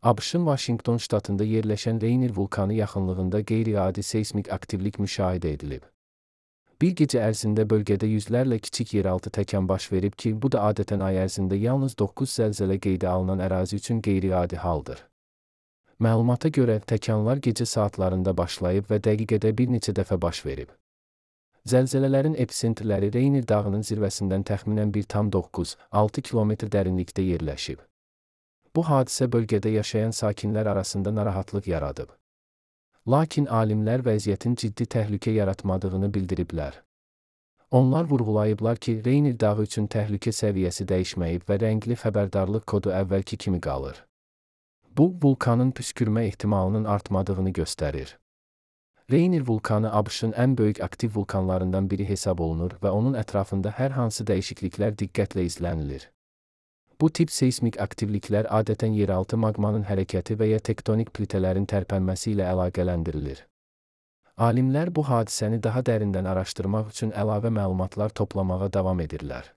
ABŞ-ın Vaşinqton ştatında yerləşən Rainier vulkanı yaxınlığında qeyri-adi seysmik aktivlik müşahidə edilib. Bir gecə ərzində bölgədə yüzlərlə kiçik yeraltı təkan baş verib ki, bu da adətən ay ərzində yalnız 9 zəlzələ qeydə alınan ərazi üçün qeyri-adi haldır. Məlumata görə, təkanlar gecə saatlarında başlayıb və dəqiqədə bir neçə dəfə baş verib. Zəlzələlərin episentrləri Rainier dağının zirvəsindən təxminən 1,9-6 kilometr dərinlikdə yerləşib. Bu hadisə bölgədə yaşayan sakinlər arasında narahatlıq yaradıb. Lakin alimlər vəziyyətin ciddi təhlükə yaratmadığını bildiriblər. Onlar vurğulayıblar ki, Rainier dağı üçün təhlükə səviyyəsi dəyişməyib və rəngli xəbərdarlıq kodu əvvəlki kimi qalır. Bu, vulkanın püskürmə ehtimalının artmadığını göstərir. Rainier vulkanı ABŞ-ın ən böyük aktiv vulkanlarından biri hesab olunur və onun ətrafında hər hansı dəyişikliklər diqqətlə izlənilir. Bu tip seysmik aktivliklər adətən yeraltı maqmanın hərəkəti və ya tektonik plitələrin tərpənməsi ilə əlaqələndirilir. Alimlər bu hadisəni daha dərindən araşdırmaq üçün əlavə məlumatlar toplamağa davam edirlər.